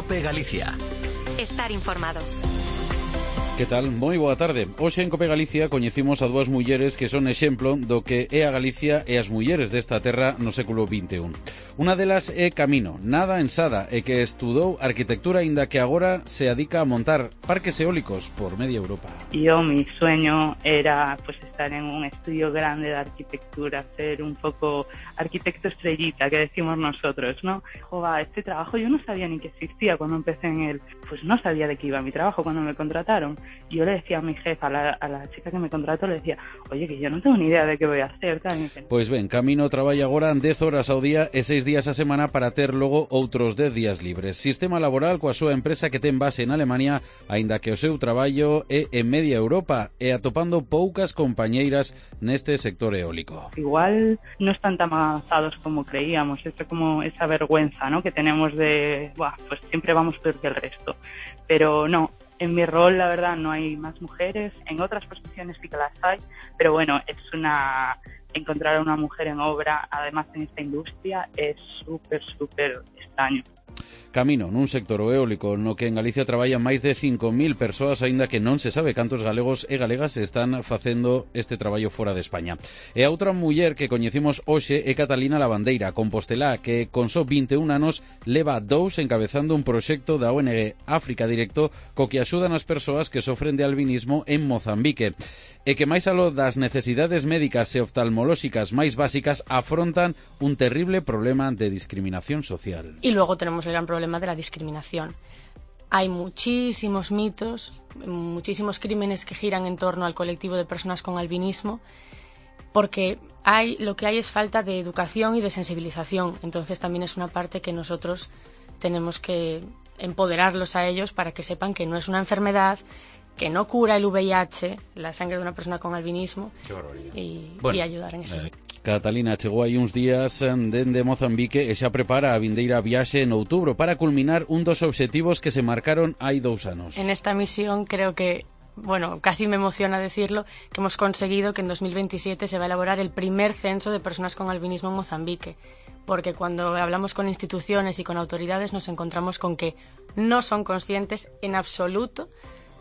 COPE Galicia. Estar informado. Que tal? Moi boa tarde. Hoxe en COPE Galicia coñecimos a dúas mulleres que son exemplo do que é a Galicia e as mulleres desta terra no século XXI. Unha delas é Camino, nada ensada e que estudou arquitectura aínda que agora se dedica a montar parques eólicos por media Europa. Mi sueño era estar en un estudio grande de arquitectura, ser un poco arquitecto estrellita, que decimos nosotros, ¿no? Este trabajo yo no sabía ni que existía cuando empecé en él, pues no sabía de qué iba mi trabajo cuando me contrataron. Yo le decía a mi jefa, a la chica que me contrató, le decía, oye, que yo no tengo ni idea de qué voy a hacer. Tal. Pois ben, Camino traballa agora 10 horas ao día e 6 días a semana para ter logo outros 10 días libres. Sistema laboral coa súa empresa que ten base en Alemania, aínda que o seu traballo é en media Europa e atopando poucas compañeiras neste sector eólico. Igual no están tan avanzados como creíamos, es como esa vergüenza, ¿no?, que tenemos de, pues siempre vamos peor que el resto. Pero no. En mi rol, la verdad, no hay más mujeres. En otras posiciones sí que las hay, pero bueno, encontrar a una mujer en obra, además en esta industria, es súper extraño. Camino, nun sector eólico no que en Galicia traballan máis de 5.000 persoas, aínda que non se sabe cantos galegos e galegas están facendo este traballo fora de España. E a outra muller que coñecimos hoxe é Catalina Lavandeira, compostelá, que con só 21 anos leva 2 encabezando un proxecto da ONG África Directo co que axudan as persoas que sofren de albinismo en Mozambique e que máis aló das necesidades médicas e oftalmolóxicas máis básicas afrontan un terrible problema de discriminación social. Y luego tenemos el gran problema de la discriminación. Hay muchísimos mitos, muchísimos crímenes que giran en torno al colectivo de personas con albinismo, porque lo que hay es falta de educación y de sensibilización. Entonces también es una parte que nosotros tenemos que empoderarlos a ellos para que sepan que no es una enfermedad, que no cura el VIH, la sangre de una persona con albinismo, y ayudar en ese sentido. Catalina chegou aí uns días dende Mozambique e xa prepara a vindeira viaxe en outubro para culminar un dos obxectivos que se marcaron hai 2 anos. En esta misión creo que, casi me emociona decirlo, que hemos conseguido que en 2027 se va a elaborar el primer censo de personas con albinismo en Mozambique, porque cuando hablamos con instituciones y con autoridades nos encontramos con que no son conscientes en absoluto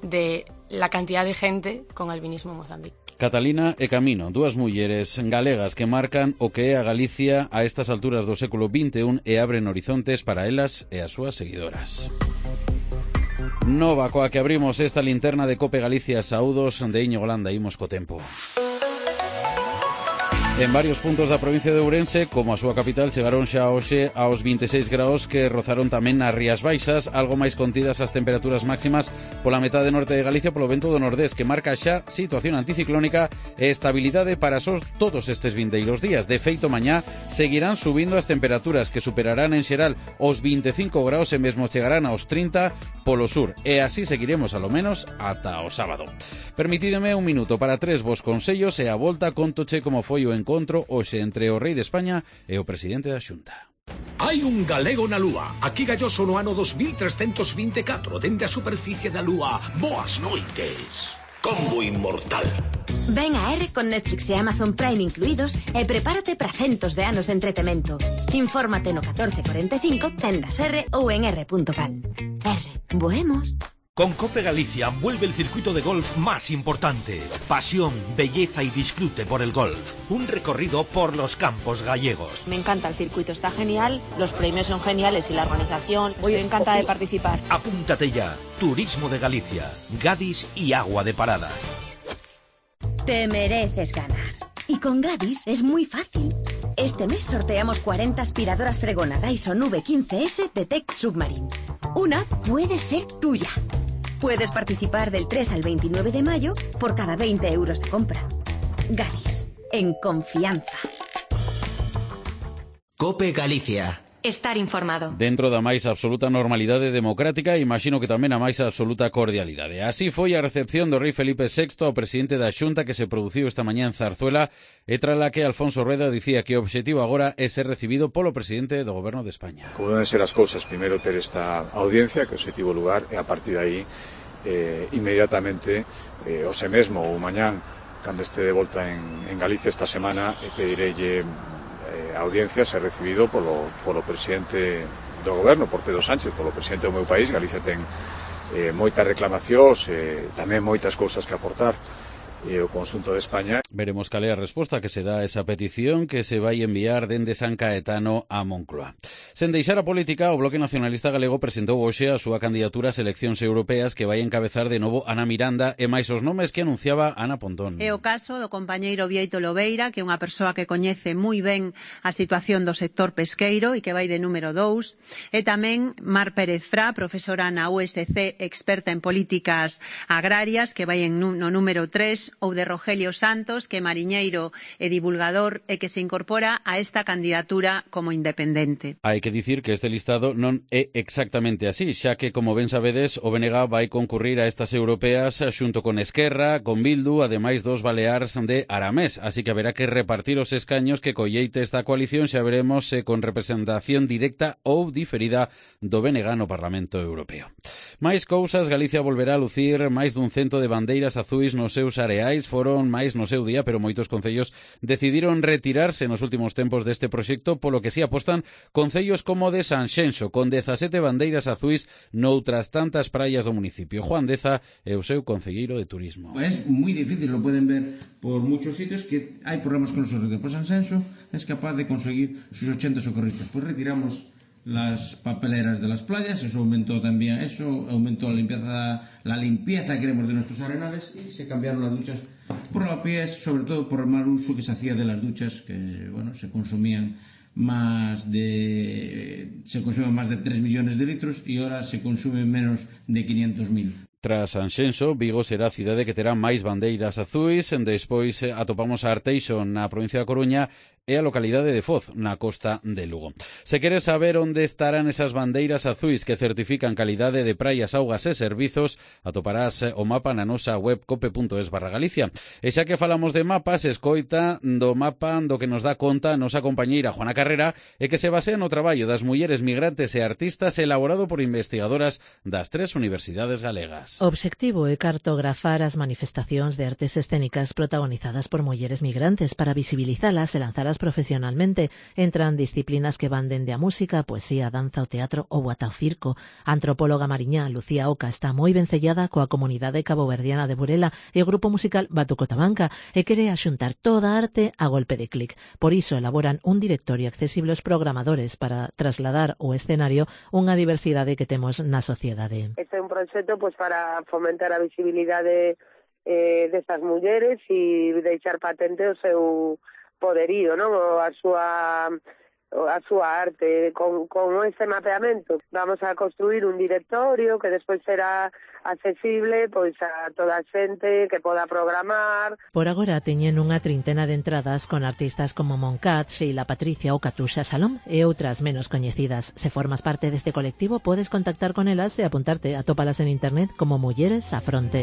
de la cantidad de gente con albinismo en Mozambique. Catalina e Camino, dúas mulleres galegas que marcan o que é a Galicia a estas alturas do século XXI e abren horizontes para elas e as súas seguidoras. Nova coa que abrimos esta linterna de COPE Galicia. Saúdos de Íñigo Landa, imos co tempo. En varios puntos da provincia de Ourense, como a súa capital, chegaron xa hoxe aos 26 graus que rozaron tamén nas Rías Baixas, algo máis contidas as temperaturas máximas pola metade norte de Galicia polo vento do nordés, que marca xa situación anticiclónica e estabilidade para todos estes vindeiros días. De feito, mañá seguirán subindo as temperaturas, que superarán en xeral os 25 graus e mesmo chegarán aos 30 polo sur, e así seguiremos alo menos ata o sábado. Permitídeme un minuto para 3 vos consellos e a volta contoche como foi o encontro hoxe entre o rei de España e o presidente da Xunta. Hai un galego na Lúa, aquí galloso no ano 2324, dende a superficie da Lúa. Boas noites. Combo inmortal. Ven a R con Netflix e Amazon Prime incluídos e prepárate para centos de anos de entretemento. Infórmate no 1445, tendas R ou en r.gal. R, boemos. Con COPE Galicia vuelve el circuito de golf más importante. Pasión, belleza y disfrute por el golf. Un recorrido por los campos gallegos. Me encanta el circuito, está genial, los premios son geniales y la organización. Estoy encantada de participar. Apúntate ya. Turismo de Galicia, Gadis y Agua de Parada. Te mereces ganar. Y con Gadis es muy fácil. Este mes sorteamos 40 aspiradoras fregona Dyson V15S de Tech Submarine. Una puede ser tuya. Puedes participar del 3 al 29 de mayo por cada 20 euros de compra. Gadis, en confianza. COPE Galicia. Estar informado. Dentro da máis absoluta normalidade democrática, imagino que tamén a máis absoluta cordialidade. Así foi a recepción do rei Felipe VI ao presidente da Xunta que se produciu esta mañá en Zarzuela, e trala que Alfonso Rueda dicía que o obxectivo agora é ser recibido polo presidente do Goberno de España. Como deben ser as cousas, primeiro ter esta audiencia, que é o obxectivo lugar, e a partir de aí, inmediatamente, hoxe mesmo ou mañán, cando este de volta en Galicia esta semana, pedireille audiencia ser recibido polo presidente do goberno por Pedro Sánchez, polo presidente do meu país. Galicia ten moitas reclamacións, tamén moitas cousas que aportar o conxunto de España. Veremos cal é a resposta que se dá a esa petición que se vai enviar dende San Caetano a Moncloa. Sen deixar a política, o Bloque Nacionalista Galego presentou hoxe a súa candidatura ás eleccións europeas que vai encabezar de novo Ana Miranda e máis os nomes que anunciaba Ana Pontón. É o caso do compañeiro Bieito Lobeira, que é unha persoa que coñece moi ben a situación do sector pesqueiro e que vai de número 2, e tamén Mar Pérez Fra, profesora na USC, experta en políticas agrarias, que vai no número 3, ou de Rogelio Santos, que é mariñeiro e divulgador e que se incorpora a esta candidatura como independente. Hai que dicir que este listado non é exactamente así, xa que, como ben sabedes, o BNG vai concurrir a estas europeas xunto con Esquerra, con Bildu, ademais dos baleares de Aramés, así que haberá que repartir os escaños que colleite esta coalición, xa veremos se con representación directa ou diferida do BNG no Parlamento Europeo. Máis cousas, Galicia volverá a lucir máis dun cento de bandeiras azuis nos seus areais. Foron máis no seu día, pero moitos concellos decidiron retirarse nos últimos tempos deste proxecto, polo que si apostan concellos como de Sanxenxo, con 17 bandeiras azuis noutras tantas praias do municipio. Juan Deza é o seu concelleiro de turismo. Es moi difícil, lo pueden ver por muchos sitios, que hai programas con nosotros. Después Sanxenxo es capaz de conseguir sus 80 socorristas. Pues retiramos las papeleras de las playas, eso aumentó también, eso aumentó la limpieza queremos de nuestros arenales, y se cambiaron las duchas por lavapiés, sobre todo por el mal uso que se hacía de las duchas, que bueno, se consumían más de 3 millones de litros y ahora se consumen menos de 500.000. Tras Sanxenxo, Vigo será a cidade que terá máis bandeiras azuis. Despois atopamos a Arteixo na provincia da Coruña e a localidade de Foz, na costa de Lugo. Se queres saber onde estarán esas bandeiras azuis que certifican calidade de praias, augas e servizos, atoparás o mapa na nosa web cope.es/Galicia. E xa que falamos de mapas, escoita do mapa do que nos dá conta a nosa compañeira Juana Carrera e que se basea no traballo das mulleres migrantes e artistas elaborado por investigadoras das 3 universidades galegas. O obxectivo é cartografar as manifestacións de artes escénicas protagonizadas por mulleres migrantes para visibilizalas e lanzalas profesionalmente. Entran disciplinas que van dende a música, a poesía, a danza, o teatro ou ata o circo. A antropóloga mariñá Lucía Oca está moi vencellada coa comunidade caboverdiana de Burela e o grupo musical Batuco Tabanca e quere axuntar toda a arte a golpe de clic. Por iso elaboran un directorio accesible aos programadores para trasladar ao escenario unha diversidade que temos na sociedade. Este é un proxecto para fomentar a visibilidade destas mulleres e deixar patente o seu poderío, non? A súa arte. Con este mapeamento vamos a construir un directorio que despois será accesible pois a toda a xente que poda programar. Por agora teñen unha trintena de entradas con artistas como Moncat, Sheila Patricia ou Katusha Salom e outras menos coñecidas. Se formas parte deste colectivo podes contactar con elas e apuntarte. Atópalas en internet como Mulleres á Fronte.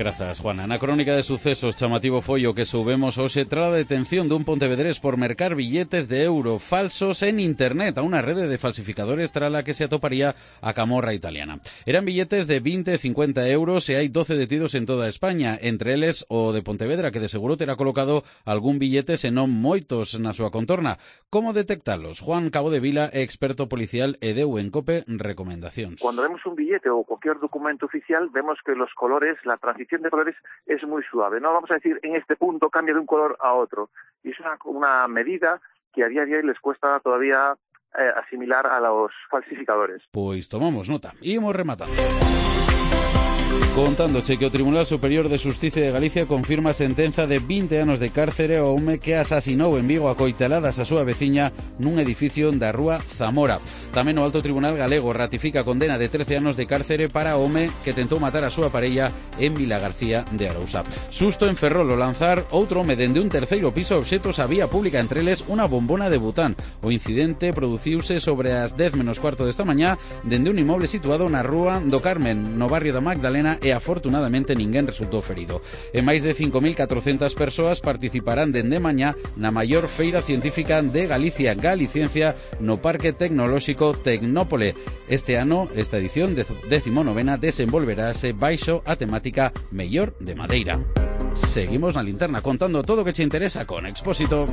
Grazas, Juana. Na crónica de sucesos, chamativo foi o que soubemos hoxe tras a detención dun pontevedrés por mercar billetes de euro falsos en internet a unha rede de falsificadores tras a que se atoparía a camorra italiana. Eran billetes de 20 e 50 euros e hai 12 detidos en toda España, entre eles o de Pontevedra, que de seguro terá colocado algún billete, senón moitos, na súa contorna. Como detectalos? Juan Cabo de Vila é experto policial e deu en COPE recomendacións. Cuando vemos un billete o cualquier documento oficial, vemos que los colores, la transición de colores es muy suave. No vamos a decir en este punto cambia de un color a otro. Y es una medida que a día de hoy les cuesta todavía asimilar a los falsificadores. Pois tomamos nota. Imos rematando. Contándoche que o Tribunal Superior de Xustiza de Galicia confirma a sentenza de 20 anos de cárcere ao home que asasinou en Vigo a coiteladas a súa veciña nun edificio da rúa Zamora. Tamén o Alto Tribunal Galego ratifica a condena de 13 anos de cárcere para o home que tentou matar a súa parella en Vilagarcía de Arousa. Susto en Ferrol ao lanzar outro home dende un terceiro piso obxetos a vía pública, entre eles unha bombona de bután. O incidente produciuse sobre as 10:15 desta mañá dende un inmoble situado na rúa do Carmen, no barrio da Magdalena, e afortunadamente ninguén resultou ferido. E máis de 5.400 persoas participarán dende mañá na maior feira científica de Galicia, Galiciencia, no Parque Tecnolóxico Tecnópole. Este ano, esta edición 19ª desenvolverase baixo a temática Mellor de Madeira. seguimos na linterna contando todo o que che interesa con Expósito.